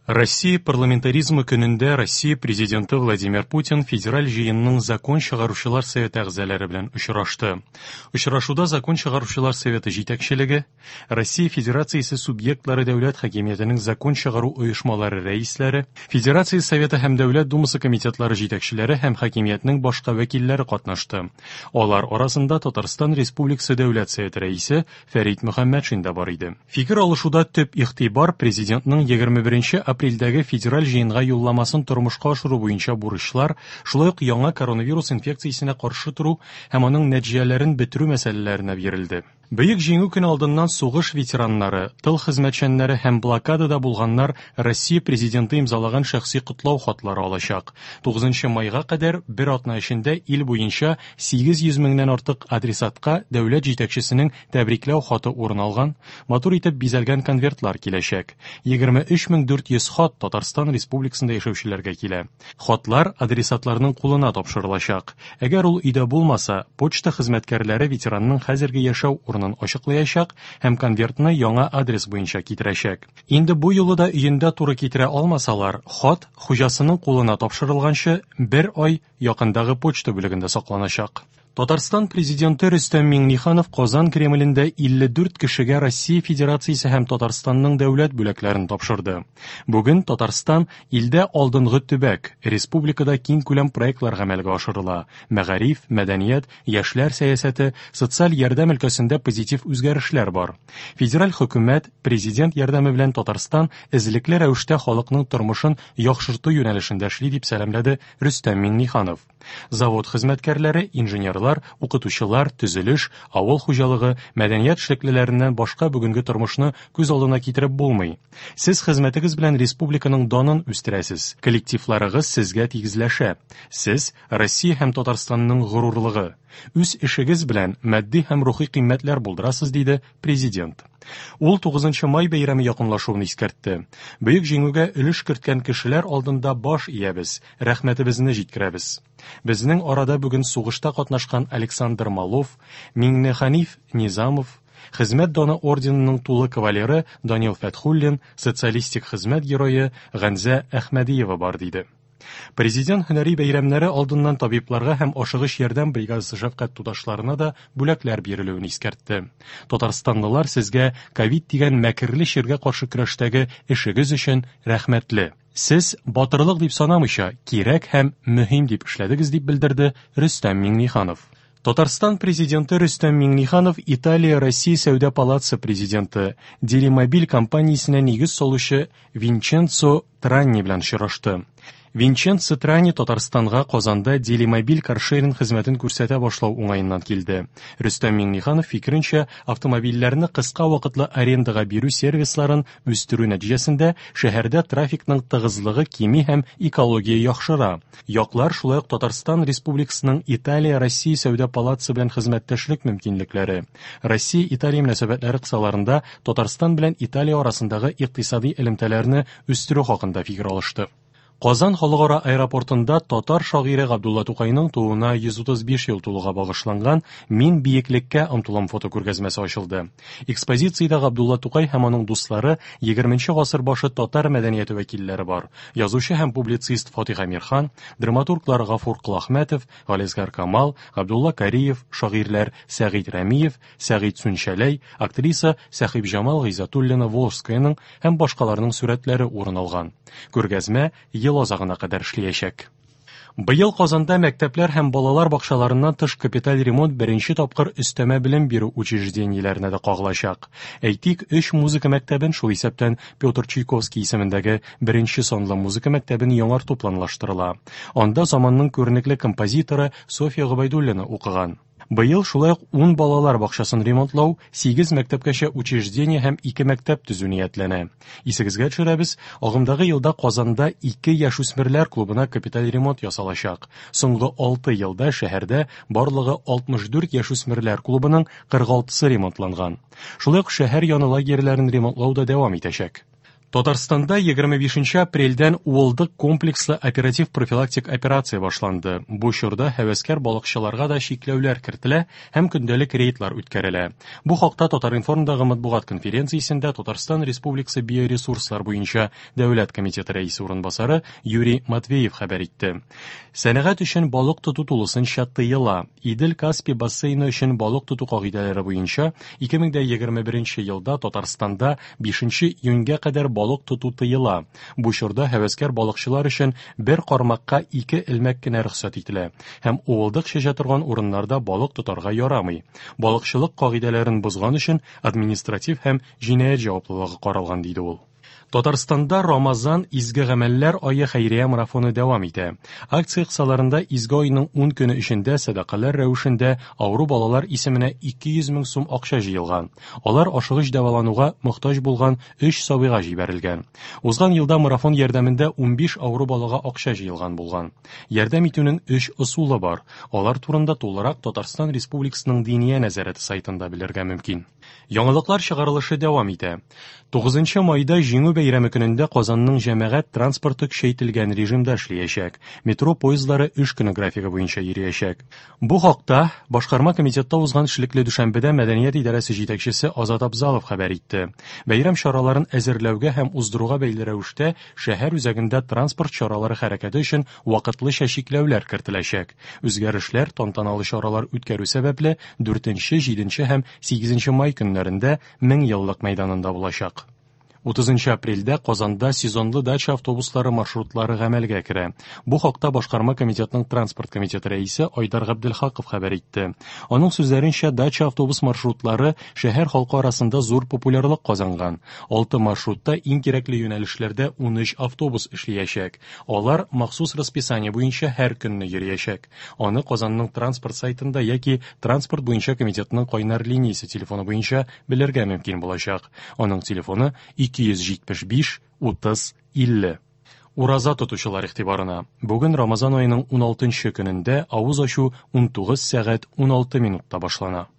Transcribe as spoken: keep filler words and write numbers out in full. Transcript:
Россия парламентаризмы көнендә Россия президенты Владимир Путин Федераль җыенның закон чыгаручылар советы әгъзалары белән очрашты. Очрашуда закон чыгаручылар советы җитәкчелеге, Россия Федерациясе субъектлары дәүләт хакимиятенең закон чыгару оешмалары рәисләре, Федерация Советы һәм Дәүләт Думасы комитетлары җитәкчеләре һәм хакимиятнең башка вәкилләре катнашты. Алар арасында Татарстан Республикасы Дәүләт Советы рәисе Фәрит Мөхәммәтшин дә бар иде. Фикер алышуда төп игътибар президентның егерме беренче апрельдәге федераль җыенга юлламасын тормышка ашыру буенча бурычлар, шулай ук яңа коронавирус инфекциясенә каршы тору һәм аның нәтиҗәләрен бетерү мәсьәләләренә бирелде. Бөек Җиңү көне алдыннан сугыш ветераннары, тыл хезмәтчәннәре һәм блокадада булганнар Россия президенты имзалаган шәхси котлау хатлары алачак. Тугызынчы майга кадәр бер атна эчендә ил буенча сигез йөз меңнән артык адресатка дәүләт җитәкчесенең тәбрикләү хаты урын алган, матур итеп бизәлгән конвертлар киләчәк. Егерме өч мең дүрт йөз хат Татарстан Республикасында яшәүчеләргә килә. Хатлар адресатларның кулына тапшырылачак. Әгәр ул өйдә булмаса, почта хезмәткәрләре ветеранның хәзерге яшәү урынын ачыклаячак һәм конвертны яңа адрес буенча китерәчәк. Инде бу юлы да өендә туры китерә алмасалар, хат хуҗасының кулына тапшырылганчы бер ай якындагы почта бүлегендә сакланачак. Татарстан президенты Рөстәм Миңнеханов Казан Кремлендә илле дүрт кешегә Россия Федерациясе һәм Татарстанның дәүләт бүләкләрен тапшырды. Бүген Татарстан илдә алдынгы төбәк, республикада киң күләм проектлар гамәлгә ашырыла. Мәгариф, мәдәният, яшьләр сәясәте, социаль ярдәм өлкәсендә позитив үзгәрешләр бар. Федераль хөкүмәт, президент ярдәме белән Татарстан эзлекле рәвештә халыкның тормышын яхшырту юнәлешендә эшли, дип сәламләде Рөстәм Миңнеханов. Завод хезмәткәрләре, инженерлар, укытучылар, төзелеш, авыл хуҗалыгы, мәдәният эшлеклеләреннән башка бүгенге тормышны күз алдына китереп булмый. Сез хезмәтегез белән республиканың данын үстерәсез. Коллективларыгыз сезгә тигезләшә. Сез Россия һәм Татарстанның горурлыгы. Үз эшегез белән матди һәм рухи кыйммәтләр булдырасыз, диде президент. Ул тугызынчы май бәйрәме якынлашуын искәртте. Бөек җиңүгә өлеш керткән кешеләр алдында баш иябез, рәхмәтебезне җиткерәбез. Безнең арада бүген сугышта катнашкан Александр Малов, Миңнеханиф Низамов, Хезмәт даны орденының тулы кавалеры Данил Фәтхуллин, социалистик хезмәт герое Ганзә Әхмәдиева бар, диде. Президент һөнәри бәйрәмнәре алдыннан табибларга һәм ашыгыч ярдәм бригадасы шәфкать туташларына да бүләкләр бирелүен искәртте. Татарстанлылар сезгә ковид дигән мәкерле чиргә каршы көрәштәге эшегез өчен рәхмәтле. Сез батырлык дип санамыйча, кирәк һәм мөһим дип эшләдегез, дип белдерде Рөстәм Миңнеханов. Татарстан президенты Рөстәм Миңнеханов Италия Россия Сәүдә палатасы президенты, Делимобиль компаниясенә нигез салучы Винченцо Транни белән очрашты. Винченцо Трани Татарстанга Казанда Делимобиль каршеринг хезмәтен күрсәтә башлау уңаеннан килде. Рөстәм Миңнеханов фикеренчә, автомобильләрне кыска вакытлы арендага бирү сервисларын үстерү нәтиҗәсендә шәһәрдә трафикның тыгызлыгы кими һәм экология яхшыра. Яклар шулай ук Татарстан Республикасының Италия Россия Сәүдә палатасы белән хезмәттәшлек мөмкинлекләре, Россия-Италия мөнәсәбәтләре кысаларында Татарстан белән Италия арасындагы икътисади элемтәләрне үстерү хакында фикер алышты. Казан халыкара аэропортында татар шагыйре Габдулла Тукайның тууына йөз утыз биш ел тулуга багышланган Мин биеклеккә омтылам фотокүргәзмәсе ачылды. Экспозициядә Габдулла Тукай һәм аның дуслары егерменче гасыр башы татар мәдәнияте вәкилләре бар. Язучы һәм публицист Фатих Әмирхан, драматурглар Гафур Колахмәтов, Галиәсгар Камал, Габдулла Кариев, шагыйрьләр Сәгыйть Рәмиев, Сәгыйть Сүнчәләй, актриса Сәхибҗамал Гыйззәтуллина Волжскаяның һәм башкаларның сурәтләре урын алган. Күргәзмә ел азагына кадәр эшләячәк. Быел Казанда мәктәпләр һәм балалар бакчаларыннан тыш капиталь ремонт беренче тапкыр өстәмә белем бирү учреждениеләренә дә кагылачак. Әйтик, өч музыка мәктәбен, шул исәптән Петр Чайковский исемендәге беренче санлы музыка мәктәбен яңарту планлаштырыла. Анда заманның күренекле композиторы Софья Гобәйдуллина укыган. Быел шулай ук ун балалар бакчасын ремонтлау, сигез мәктәпкәчә учреждение һәм ике мәктәп төзү ниятләнә. Исегезгә төшерәбез, агымдагы елда Казанда ике яшүсмерләр клубына капиталь ремонт ясалачак. Соңгы алты елда шәһәрдә барлыгы алтмыш дүрт яшүсмерләр клубының кырык алтысы ремонтланган. Шулай ук шәһәр яны лагерьларын ремонтлау да дәвам итәчәк. Татарстанда егерме бишенче апрельдән Уылдык комплекслы оператив профилактик операция башланды. Бу чорда һәвәскәр балыкчыларга да чикләүләр кертелә һәм көндәлек рейдлар үткәрелә. Бу хакта Татар-информдагы матбугат конференциясендә Татарстан Республикасы биоресурслар буенча Дәүләт комитеты рәисе урынбасары Юрий Матвеев хәбәр итте. Сәнәгать өчен балык тоту тулысынча тыела. Идел-Каспий бассейны өчен балык тоту кагыйдәләре буенча ике мең дә егерме беренче елда Татарстанда бишенче июньгә кадәр балык тоту тыела. Бу чорда һәвәскәр балыкчылар өчен бер кармакка ике элмәк кенә рөхсәт ителә һәм уылдык чәчә торган урыннарда балык тотарга ярамый. Балыкчылык кагыйдәләрен бозган өчен административ һәм җинаять җаваплылыгы каралган, диде ул. Татарстанда Рамазан изге гамәлләр ае хәйрия марафоны дәвам итә. Акция кысаларында изге айның ун көне эчендә сәдакалар рәвешендә авыру балалар исеменә ике йөз мең сум акча җыелган. Алар ашыгыч дәвалануга мохтаҗ булган өч сабыйга җибәрелгән. Узган елда марафон ярдәмендә унбиш авыру балага акча җыелган булган. Ярдәм итүнең өч ысулы бар. Алар турында тулырак Татарстан Республикасының Диния нәзарәте сайтында белергә мөмкин. Яңалыклар чыгарылышы дәвам итә. Тугызынчы майда Җиңү бәйрәме көнендә Казанның җәмәгать транспорты көчәйтелгән режимда эшләячәк. Метро поездлары эш көне графигы буенча йөриячәк. Бу хакта Башкарма комитетта узган эшлекле дүшәмбедә Мәдәният идарәсе җитәкчесе Азат Абзалов хәбәр итте. Бәйрәм чараларын әзерләүгә һәм уздыруга бәйле рәвештә шәһәр үзәгендә транспорт чаралары хәрәкәте өчен вакытлыча чикләүләр кертеләчәк. Үзгәрешләр тантаналы чаралар үткәрү сәбәпле дүртенче, җиденче һәм сигезенче май көннәрендә Мең еллык мәйданында булачак. Утызынчы апрельдә Казанда сезонлы дача автобуслары маршрутлары гамәлгә керә. Бу хакта Башкарма комитетның транспорт комитеты рәисе Айдар Габделхаков хәбәр итте. Аның сүзләренчә, дача автобус маршрутлары шәһәр халкы арасында зур популярлык казанган. Алты маршрутта иң кирәкле юнәлешләрдә унөч автобус эшләячәк. Алар махсус расписание буенча һәр көнне йөриячәк. Аны Казанның транспорт сайтында яки транспорт буенча комитетның кайнар линиясе телефоны буенча белергә мөмкин булачак. Аның телефоны ике йөз җитмеш биш, утыз, илле. Ураза тотучылар игътибарына. Бүген Рамазан аеның уналтынчы көнендә авыз ачу унтугыз сәгать уналты минутта башлана.